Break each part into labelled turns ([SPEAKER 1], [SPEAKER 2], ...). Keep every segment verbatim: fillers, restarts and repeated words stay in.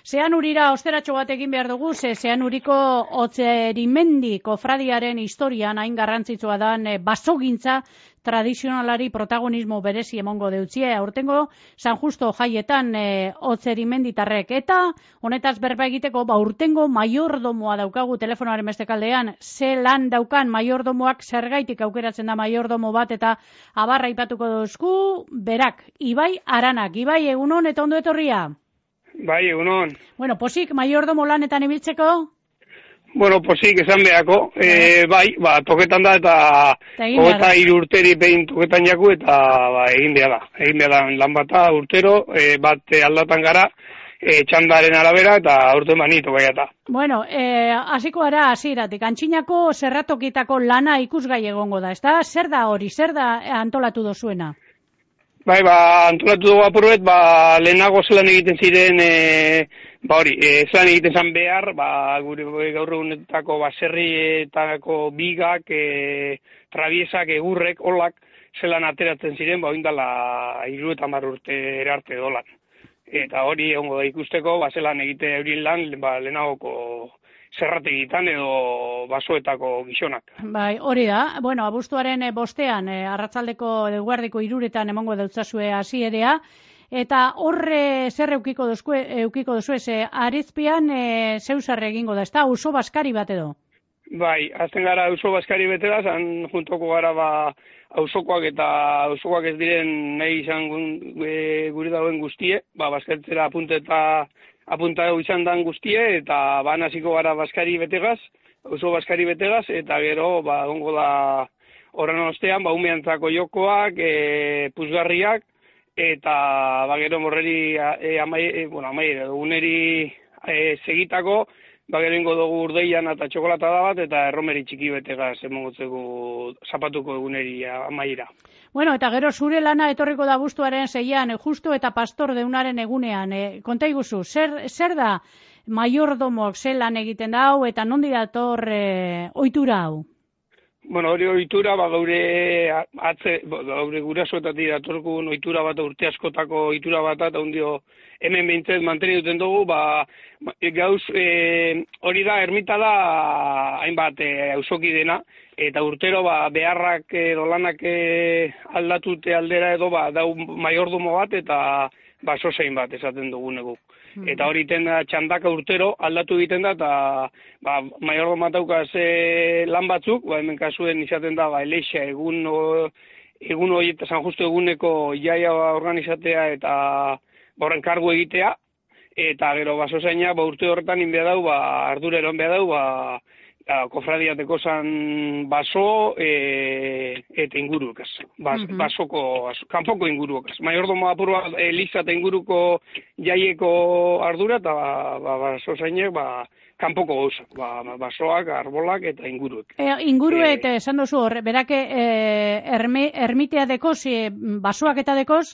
[SPEAKER 1] Zean urira osteratxo bat egin behar dugu, ze zean uriko Otzerimendi kofradiaren historian hain garrantzitsua dan e, basogintza tradizionalari protagonismo berezi emongo deutzie. Aurtengo San Justo jaietan e, Otzerimenditarrek. Eta honetaz berba egiteko, ba urtengo maiordomoa daukagu telefonoaren beste kaldean. Ze lan daukan maiordomoak, zergaitik aukeratzen da maiordomo bat, eta abarra ipatuko duzku, berak, Ibai Aranak. Ibai, egunon eta ondo etorria?
[SPEAKER 2] Bai, egunon.
[SPEAKER 1] Bueno, posik maiordomo lanetan ibiltzeko?
[SPEAKER 2] Bueno, posik esan behako, e, bai, ba, toketan da eta hogeta hiru urteri behin toketan jaku eta ba, egin behar da. Egin behar da lan bata urtero, e, bat aldatan gara, e, txandaren arabera eta urte manito baiata.
[SPEAKER 1] Bueno, e, hasiko gara hasieratik. Antxinako zerratokitako lana ikusgai egongo da, ezta? Zer da hori, zer da antolatu dozuena?
[SPEAKER 2] Bai, ba, antolatu dugu apurbet, ba, lehenago zelan egiten ziren, e, ba hori, e, zelan egiten zan behar, ba, gure gaur egunetako baserrietako bigak, e, trabiesak, egurrek, olak, zelan ateratzen ziren, ba, oindala hiru eta hamar urte erarte dolan. Eta hori egongo da ikusteko, ba, zelan egite eurin lan, ba, lehenagoko zerrategitan edo basoetako gizonak.
[SPEAKER 1] Bai, hori da. Bueno, abuztuaren bostean, e, arratzaldeko eguerdiko iruretan emongo dautzazue hasierea, eta horre zer eukiko dozue, eukiko dozue, ze arizpian e, zeusarre egingo da, ez da, oso baskari bat edo?
[SPEAKER 2] Bai, azten gara oso baskari betera, zan juntoko gara ba auzokoak eta auzokoak ez diren nahi izan e, guri dauen guztie, ba, baskartzera apunte eta apunta izan dan guztie, eta ban hasiko gara baskari betegaz, oso baskari betegaz, eta gero, ba, gongo da horren ostean, ba, umeantzako jokoak, e, puzgarriak, eta, ba, gero morreri, e, amai, e, bueno, amai, uneri e, segitako, ba, gero ingo dugu urdeian eta txokolata da bat, eta erromeri txiki betegaz emongotzeko zapatuko eguneri amaira.
[SPEAKER 1] Bueno, eta gero zure lana etorriko da abuztuaren seian, justo eta pastor deunaren egunean. E, konta iguzu, zer, zer da maiordomok ze lan egiten da hau, eta nondi dator e, ohitura hau?
[SPEAKER 2] Bueno, hori ohitura, ba, gaure atze, gaure gurasoetatik datorkun ohitura bat, urte askotako ohitura bat, eta hundio hemen behintzet manteni duten dugu, ba, gauz, e, hori da, ermita da, hainbat e, auzoki dena, eta urtero ba, beharrak edo lanak e, aldatute aldera edo ba, dau maiordomo bat eta ba, sosein bat esaten dugunegu. Mm. Eta hori iten da txandaka urtero aldatu egiten da, eta ba, maiordomo daukaz e, lan batzuk, ba, hemen kasuen izaten da ba, eleixa egun, o, egun hori eta San Justo eguneko jaia organizatea eta horren kargu egitea, eta gero ba, soseina ba, urte horretan inbea dau, ba, ardurero inbea dau, ba, kofradiateko zan baso e, eta inguruekaz. Bas, uh-huh. Basoko, kanpoko inguruekaz. Maiordomo apurua eliza eta inguruko jaieko ardura eta ba, baso zainek ba, kanpoko gauzak. Ba, basoak, arbolak eta inguruek.
[SPEAKER 1] E, ingurue eta esan duzu hor, berake e, erme, ermitea dekoz, e, basoak eta dekoz?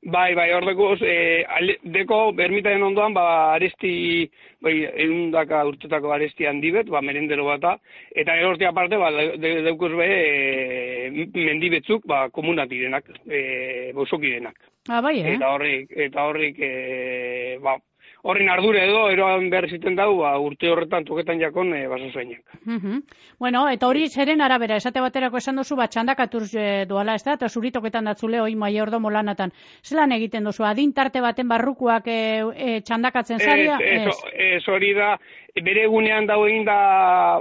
[SPEAKER 2] Bai, bai, hor dekoz, e, deko ermitaren ondoan, ba, aresti, bai, eundaka urtetako aresti handi bet, ba, merendero bata, eta erortea aparte, ba, deukuz be, e, mendibetzuk, ba, komunat direnak, e, bosoki denak.
[SPEAKER 1] Ah, bai, eh?
[SPEAKER 2] Eta horrik, eta horrik, e, ba, horren ardure edo, eroan behar ziten dau, ba, urte horretan toketan jakon e, baso zainak.
[SPEAKER 1] Uh-huh. Bueno, eta hori zeren arabera, esate baterako esan duzu, bat txandakatur e, doala, ez da, eta zuri toketan datzule, hoi maiordomo lanatan. Zelan egiten duzu, adin tarte baten barrukuak e, e, txandakatzen zaria?
[SPEAKER 2] Ez, ez, hori da, bere egunean dago egin da,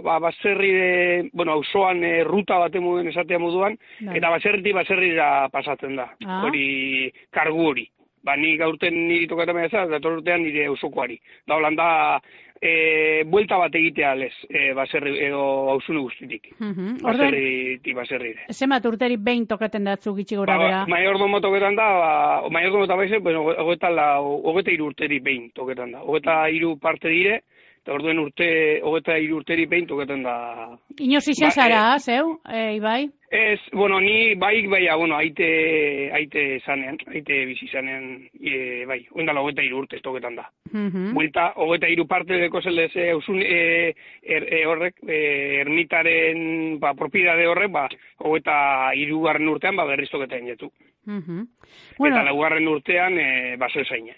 [SPEAKER 2] ba, baserri, de, bueno, auzoan e, ruta baten moduen esatea moduan, Dai. Eta baserriti baserrira pasatzen da, ah. Hori, kargu hori. Ba, ni gaurten niri tokatzen ez, dator urtean nire auzokoari. Da, holanda, e, buelta bat egitea lez, e, baserri, edo auzune guztitik. Uh-huh. Baserritik baserrire.
[SPEAKER 1] Zemat urteri behin tokaten datzu gitxi gora bera?
[SPEAKER 2] Ba, maiordomo toketan da, ba, maiordomo eta baize, bueno, hogeta hiru urteri behin toketan da. Hogeta hiru parte dire, eta orduen urte, hogeta hiru urteri behin toketan da.
[SPEAKER 1] Inoz izen
[SPEAKER 2] ba,
[SPEAKER 1] zara,
[SPEAKER 2] e,
[SPEAKER 1] zeu, e, Ibai?
[SPEAKER 2] Ez, bueno, ni baik, baia, bueno, aite, aite zanean, aite bizi zanean, e, bai, oindala hogeta hiru urte toketan da. Uh-huh. Buelta, hogeta hiru parte deko zelez, e, eusun, e, er, e, horrek, e, ermitaren, ba, propiedade horrek, ba, hogeta hiru garren urtean, ba, berriz toketan jetu. Uh-huh. Bueno, eta laugarren urtean, e, baso ezaina.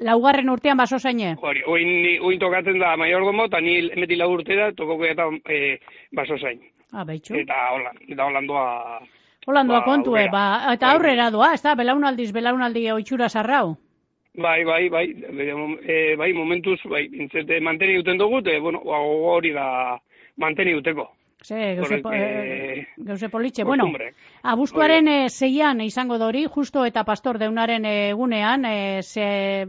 [SPEAKER 1] Laugarren urtean baso zaine?
[SPEAKER 2] Hori, oin, oin tokatzen da maiordomo, eta ni emeti lau urte da, tokoko eta e, baso zain.
[SPEAKER 1] Ah, beitxu.
[SPEAKER 2] Eta hola, eta holandoa...
[SPEAKER 1] Holandoa
[SPEAKER 2] ba,
[SPEAKER 1] kontue,
[SPEAKER 2] aurrera.
[SPEAKER 1] ba, eta aurrera doa, ez da, belaunaldiz, belaunaldi oitxura zarrau.
[SPEAKER 2] Bai, bai, bai, e, bai, momentuz, bai, intzete, manteni duten dugu, eta, bueno, hori da manteni duteko.
[SPEAKER 1] Ze, gauze, po,
[SPEAKER 2] eh,
[SPEAKER 1] gauze politxe. Bueno,
[SPEAKER 2] kostumbre.
[SPEAKER 1] abuztuaren e, zeian izango da hori, justo eta pastor deunaren egunean, e, ze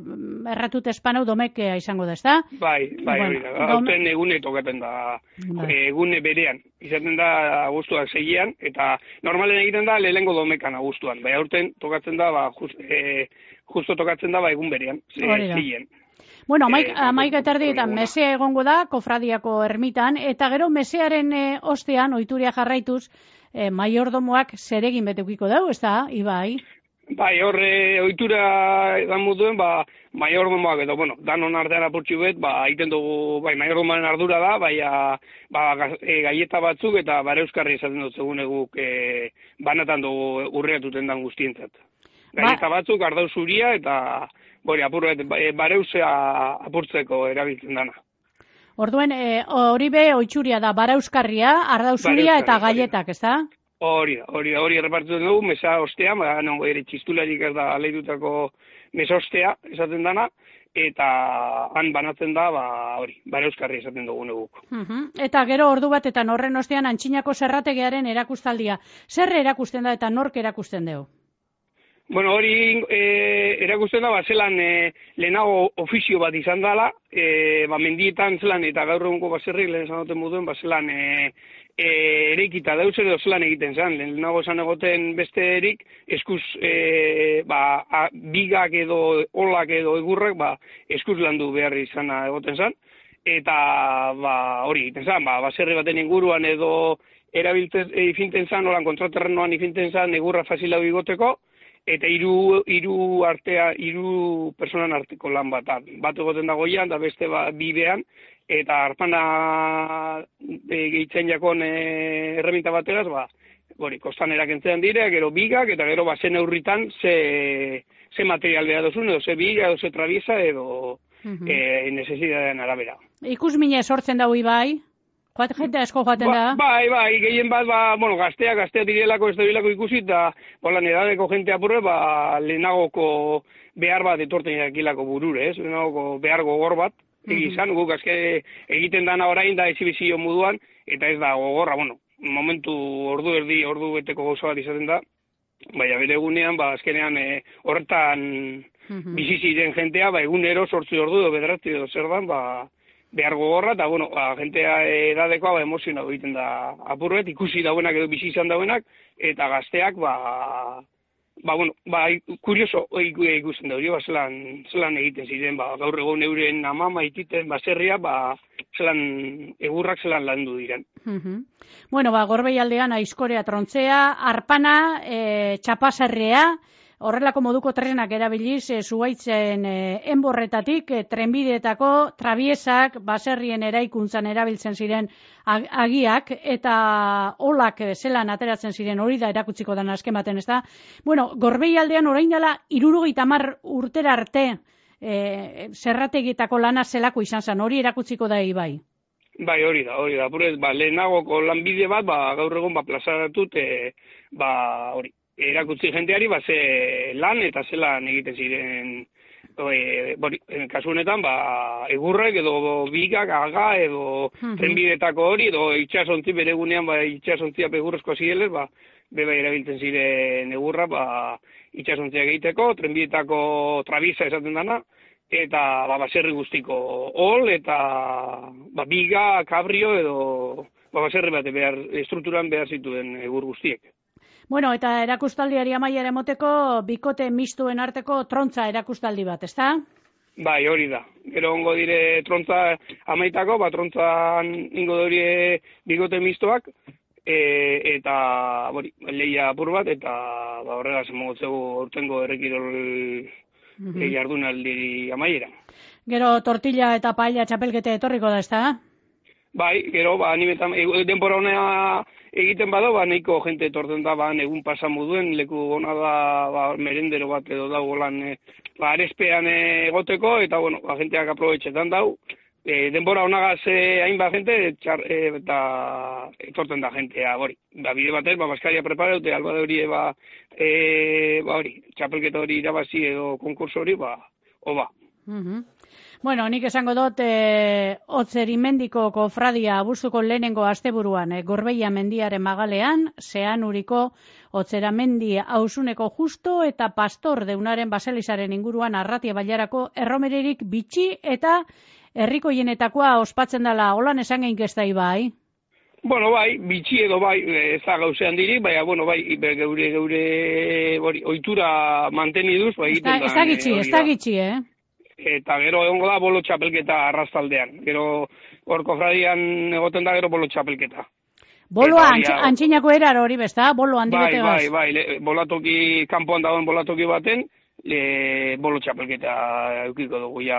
[SPEAKER 1] erratut espanau domekea izango da, ez da?
[SPEAKER 2] Bai, bai,
[SPEAKER 1] Bueno,
[SPEAKER 2] hori da. Hauten egune tokaten da,
[SPEAKER 1] Bai.
[SPEAKER 2] egune berean. Izaten da abuztuak zeian, eta normalen egiten da lehengo domekan abuztuan. Bai, aurten tokatzen da, ba, just, e, justo tokatzen da, ba, egun berean, zeien.
[SPEAKER 1] Bueno, amaik,
[SPEAKER 2] Eh,
[SPEAKER 1] amaik eta erdietan
[SPEAKER 2] eguna.
[SPEAKER 1] mesea egongo da, kofradiako ermitan, eta gero mesearen e, ostean, oituria jarraituz, e, maiordomoak zeregin beteukiko dau, ez da, Ibai?
[SPEAKER 2] Bai, horre ohitura edan mutuen, ba, maiordomoak edo, bueno, danon artean apurtxu bet, ba, egiten dugu, bai, maiordomoaren ardura da, bai, a, ba, gaz, e, gaieta batzuk eta bare euskarri esaten dut zegoen eguk e, banatan dugu urreatuten dan guztientzat. Gaieta ba, batzuk, ardau zuria eta, bori, apur bet, e, bareusea apurtzeko erabiltzen dana.
[SPEAKER 1] Orduen, e, hori be, oitxuria da, barauskarria, ardauzuria eta gaietak, ez da?
[SPEAKER 2] Hori da, hori da, hori errepartitzen dugu, mesa ostea, ba, no, ere txistularik ez da aleidutako mesa ostea esaten dana, eta han banatzen da, ba, hori, barauskarri esaten dugu neguk.
[SPEAKER 1] Uh-huh. Eta gero ordu batetan horren ostean antxinako zerrategiaren erakustaldia. Zer erakusten da eta nork erakusten dugu?
[SPEAKER 2] Bueno, hori e, erakusten da, ba, zelan e, lehenago ofizio bat izan dela, e, ba, mendietan zelan, eta gaur egungo baserrik lehen zanoten moduen, ba, zelan e, e, ereikita dauzen edo zelan egiten zen. Lehenago esan egoten besterik, eskuz e, ba, a, bigak edo olak edo egurrak, ba, eskuz landu behar izana egoten zen. Eta ba, hori egiten zen, ba, baserri baten inguruan edo erabiltzen e, ifinten zen, olan kontraterrenoan ifinten zen, egurra fasilau igoteko, eta hiru hiru artea hiru personan arteko lan bat bat egoten da goian da beste ba, bibean eta arpana e, gehitzen jakon e, erreminta bateraz ba hori kostanera kentzen dire gero bigak eta gero basen neurritan ze ze material behar duzun edo ze biga edo ze trabiesa edo uh-huh. e, necesidadeen arabera.
[SPEAKER 1] Ikusmine sortzen dago Ibai? Joat, jente asko joaten
[SPEAKER 2] ba,
[SPEAKER 1] da?
[SPEAKER 2] Bai, bai, gehien bat, ba, bueno, gazteak, gazteak direlako, ez dabilako ikusi, eta, bolan, edadeko jente apurre, ba, lehenagoko behar bat etorten jakilako burure, ez? Lehenagoko behar gogor bat, egizan, guk azke egiten dana orain da ezibizio moduan, eta ez da gogorra, bueno, momentu ordu erdi, ordu beteko gauza bat izaten da, baina bere egunean, ba, azkenean e, horretan uh-huh. bizi ziren jentea, ba, egunero sortzi ordu edo bederatzi edo zer dan, ba, behar gogorra, eta, bueno, ba, jentea edadekoa, ba, emozionatu egiten da apurret, ikusi dauenak edo bizi izan dauenak, eta gazteak, ba, ba, bueno, ba, kurioso ikusten da hori, ba, zelan, zelan egiten ziren, ba, gaur egon euren amama ititen baserria, ba, zelan, egurrak zelan landu diren.
[SPEAKER 1] Uh-huh. Bueno, ba, Gorbei aldean aizkorea trontzea, arpana, e, txapasarrea, horrelako moduko trenak erabiliz, e, zuaitzen e, enborretatik, e, trenbideetako trabiesak, baserrien eraikuntzan erabiltzen ziren ag agiak, eta olak e, zelan ateratzen ziren hori da erakutziko den azken baten, ez da? Bueno, Gorbei aldean orain dela hirurogeita hamar urtera arte e, zerrategietako lana zelako izan zen, hori erakutziko da Ibai.
[SPEAKER 2] Bai, hori da, hori da. Purez, ba, lehenagoko lanbide bat, ba, gaur egon, ba, plazaratut, e, ba, hori, erakutzi jenteari, ba, ze lan eta ze lan egiten ziren, e, bori, kasu honetan, ba, egurrek edo bigak, aga, edo uh-huh. trenbidetako hori, edo itxasontzi bere gunean, ba, itxasontzia egurrezko zireles, ba, beba erabiltzen ziren egurra, ba, itxasontziak egiteko, trenbidetako trabisa esaten dana, eta ba, baserri guztiko ol, eta ba, biga, kabrio, edo ba, baserri bat behar, estrukturan behar zituen egur guztiek.
[SPEAKER 1] Bueno, eta erakustaldiari amaiera emoteko, bikote mistuen arteko trontza erakustaldi bat, ezta?
[SPEAKER 2] Bai, hori da. Gero ongo dire trontza amaitako, ba, trontzan ingo dori bikote mistoak, e, eta bori, lehia apur bat, eta ba, horregaz emogotzegu urtengo errekirol uh-huh. jardunaldi amaiera.
[SPEAKER 1] Gero tortilla eta paella txapelkete etorriko da, ezta?
[SPEAKER 2] Bai, gero, ba, animetan, denbora honea egiten bada, ba, nahiko jente etorten da, ba, egun pasamu duen, leku ona da, ba, merendero bat edo dago lan, e, ba, arespean egoteko, eta, bueno, ba, jenteak aprobetxetan dau, e, denbora honagaz e, hainbat jente, txar, e, eta etorten da jentea, hori. Ba, bide batez, ba, baskaria prepara dute, alba de hori, ba, e, ba, hori, txapelketa hori irabazi edo konkurso hori, ba, oba.
[SPEAKER 1] Mhm. Bueno, nik esango dut, e, Otzerimendiko kofradia abuztuko lehenengo asteburuan, e, Gorbeia mendiaren magalean, Zeanuriko Otzeramendi ausuneko justo eta pastor deunaren baselizaren inguruan arratia bailarako erromeririk bitxi eta herrikoienetakoa ospatzen dela, holan esan geink ez da bai?
[SPEAKER 2] Bueno, bai, bitxi edo bai, ez da gauzean diri, baina, bueno, bai, geure, geure, hori, ohitura manteniduz, bai, egiten da.
[SPEAKER 1] Ez da gitxi, ez da gitxi, eh?
[SPEAKER 2] Eta gero egongo da bolo txapelketa arrastaldean. Gero hor kofradian egoten da gero bolo txapelketa.
[SPEAKER 1] Boloa antx, antxinako erar hori besta, bolo handi
[SPEAKER 2] bai,
[SPEAKER 1] betegaz.
[SPEAKER 2] Bai, bai, bai, bolatoki, kanpoan dagoen bolatoki baten, le, bolo txapelketa eukiko dugu ja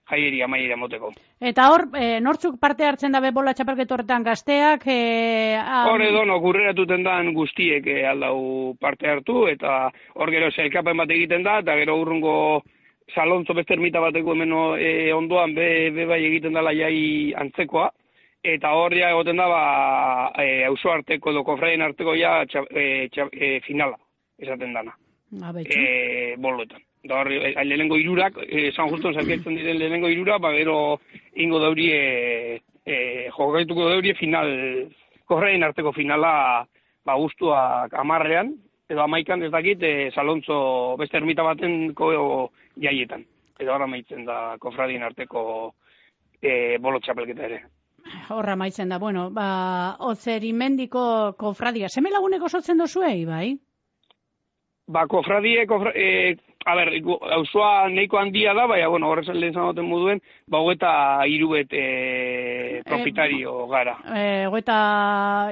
[SPEAKER 2] jaieri amaiera moteko.
[SPEAKER 1] Eta hor, e, nortzuk parte hartzen dabe bola txapelketa horretan gazteak? E,
[SPEAKER 2] hor edo, no, gurreratuten dan guztiek e, aldau parte hartu, eta hor gero zelkapen bat egiten da, eta gero urrungo Salontzo beste ermita bateko hemen e, ondoan be, be bai egiten dela jai antzekoa, eta hor ja egoten da, ba, e, auzo arteko edo kofradien arteko ja txa, e, txa, e, finala, esaten dana, e, boloetan. Da hor, e, lehenengo irurak, e, San Juston zarketzen diren lehenengo irurak, ba, gero ingo dauri, e, e, jokaituko dauri final, kofradien arteko finala, ba, guztuak amarrean, edo amaikan ez dakit, e, Salontzo beste ermita baten ko jaietan. Edo horra maitzen da kofradien arteko e, bolo txapelketa ere.
[SPEAKER 1] Horra maitzen da, bueno, ba, Otzerimendiko kofradia. Seme laguneko sotzen dozuei, bai?
[SPEAKER 2] Ba, kofradie, kofra, e, a ber, auzoa nahiko handia da, baina, bueno, horrez lehen zanoten moduen, ba, hogeta irubet e, propietario gara.
[SPEAKER 1] E, hogeta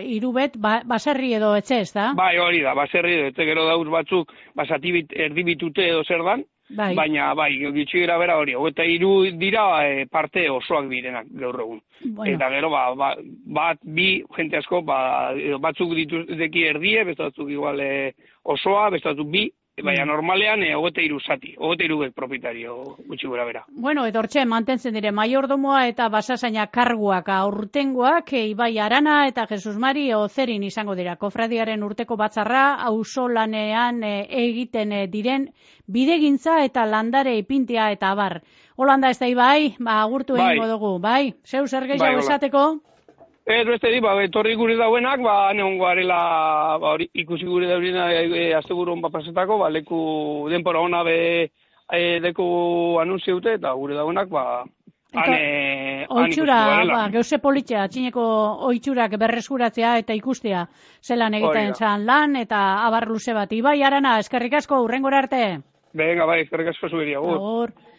[SPEAKER 1] irubet, ba, baserri edo etxe, ez da?
[SPEAKER 2] Bai, hori da, baserri edo, etxe gero dauz batzuk, basatibit, erdibitute edo zer dan, bai. Baina, bai, gitxi gara bera hori, hogeta iru dira e, parte osoak direnak gaur egun. Bueno. Eta gero, ba, ba, bat, bi, jente asko, ba, batzuk dituzeki erdie, beste batzuk igual e, osoa, beste batzuk bi, baina normalean e, hogeta iru zati, hogeta iru propietario gutxi gura bera.
[SPEAKER 1] Bueno, edo hortxe, mantentzen dire, maiordomoa eta basasaina karguak aurtengoak, e, Ibai Arana eta Jesus Mari Ozerin izango dira. Kofradiaren urteko batzarra, auzolanean e, egiten e, diren bidegintza eta landare ipintia eta abar. Holanda ez da, Ibai, ba, agurtu bai. Egingo dugu, bai? Zeu zer gehiago bai, esateko?
[SPEAKER 2] Ez beste di, ba, etorri gure dauenak, ba, neongo arela, ba, ikusi gure daurina e, azteguru hon pasetako, ba, leku denpora hona be e, deku anunziute, eta gure dauenak, ba, ane,
[SPEAKER 1] oitxura, ba, geuse politxea, txineko oitxurak berreskuratzea eta ikustea, zelan egiten zan lan, eta abar luze bat. Ibai Arana, eskerrik asko, hurrengora arte.
[SPEAKER 2] Venga, bai, eskerrik asko zuberia, gur.